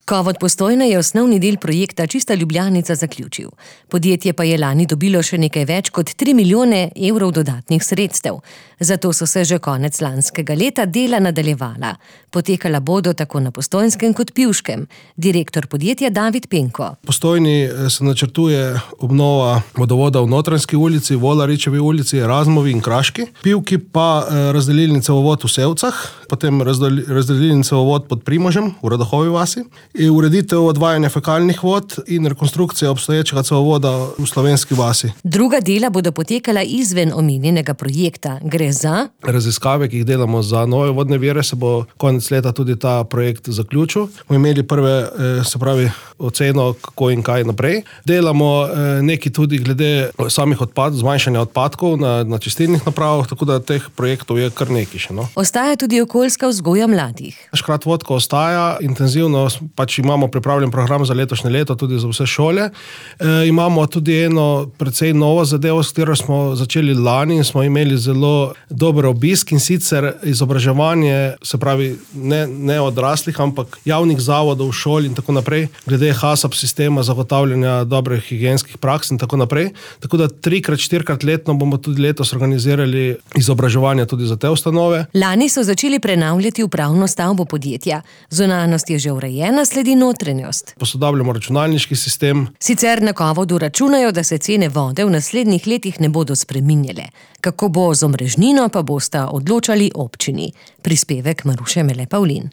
Kovod Postojna je osnovni del projekta Čista Ljubljanica zaključil. Podjetje pa je lani dobilo še nekaj več kot 3 milijone evrov dodatnih sredstev. Zato so se že konec lanskega leta dela nadaljevala. Potekala bodo tako na Postojnskem kot Pivškem. Direktor podjetja David Penko. V Postojni se načrtuje obnova vodovoda v Notranjski ulici, Volaričevi ulici, Erasmovi in Kraški. Pivki pa razdelilni cevovod v Sevcah, potem razdelilni cevovod pod Primožem v Radohovi vasi, ureditev odvajanja fekalnih vod in rekonstrukcija obstoječega cevovoda v Slovenski vasi. Druga dela bodo potekala izven omenjenega projekta. Gre za raziskave, ki jih delamo za nove vodne vire, se bo konec leta tudi ta projekt zaključil. Bomo imeli prve, oceno, kako in kaj naprej. Delamo nekaj tudi glede samih zmanjšanja odpadkov na čistilnih napravah, tako da teh projektov je kar nekaj še. Ostaja tudi okoljska vzgoja mladih. Škrat vodka ostaja, intenzivno imamo pripravljen program za letošnje leto tudi za vse šole. Imamo tudi eno precej novo zadevo, s katero smo začeli lani in smo imeli zelo dober obisk, in sicer izobraževanje, se pravi ne odraslih, ampak javnih zavodov, šol in tako naprej, glede HACCP sistema zagotavljanja dobrih higienskih praks in tako naprej. Tako da 3-4 letno bomo tudi letos organizirali izobraževanje tudi za te ustanove. Lani so začeli prenavljati upravno stavbo podjetja. Zunanjost je že urejena, sledi notranjost. Posodabljamo računalniški sistem. Sicer na Kovodu računajo, da se cene vode v naslednjih letih ne bodo spreminjale. Kako bo z omrežnino, pa bosta odločali občini. Prispevek Maruše Mele Pavlin.